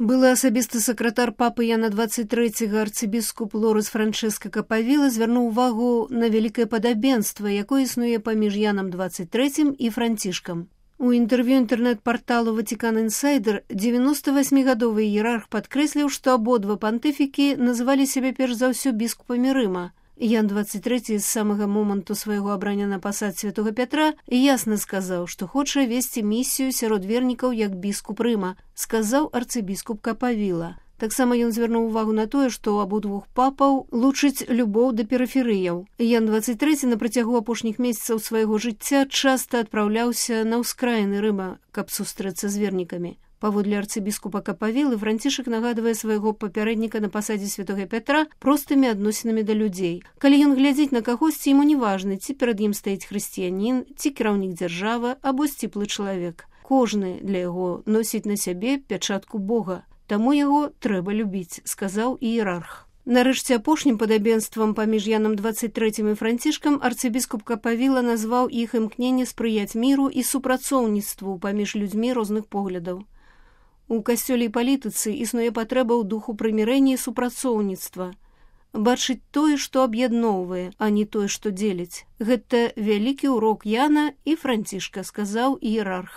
Былы асабісты сакратар папы Яна 23 арцыбіскуп Лорес Франческа Капавіла звярнуў увагу на вялікае падабенства, якое існуе паміж Янам 23 і Францішкам. У інтэрв'ю інтэрнэт-парталу Ватикан Інсайдер 98-гадовы іерарх падкрэсліў, што абодва пантыфікі называлі сябе перш за ўсё біскупамі Рыма. Ян 23 з самага моманту свайго абрання на пасад святога Пятра ясна сказаў, што хоча весці місію сярод вернікаў як біскуп Рыма, сказаў арцыбіскуп Капавіла. Таксама ён звярнуў увагу на тое, што ў абодвух папаў лучыць любоў да перыферыяў. Ян 23 на працягу апошніх месяцаў свайго жыцця часта адпраўляўся на ўскраіны Рыма, каб сустрэцца з вернікамі. Паводле арцыбіскупа Капавілы, Францішак нагадвае свайго папярэдніка на пасадзе святога Пятра простымі адносінамі да людзей. Калі ён глядзіць на кагосьці, яму не важна, ці перад ім стаіць хрысціянін, ці кіраўнік дзяржавы, або сціплы чалавек. Кожны для яго носіць на сябе пячатку Бога. Таму яго трэба любіць, сказаў іерарх. Нарэшце апошнім падабенствам паміж Янам 23 і Францішкам арцыбіскуп Капавіла назваў іх імкненне спрыяць міру і супрацоўніцтву паміж людзьмі розных поглядаў. У касцёле і палітыцы існуе патрэба ў духу прымірэння і супрацоўніцтва. Бачыць тое, што аб'ядноўвае, а не тое, што дзеліць. Гэта вялікі ўрок Яна і Францішка, сказаў іерарх.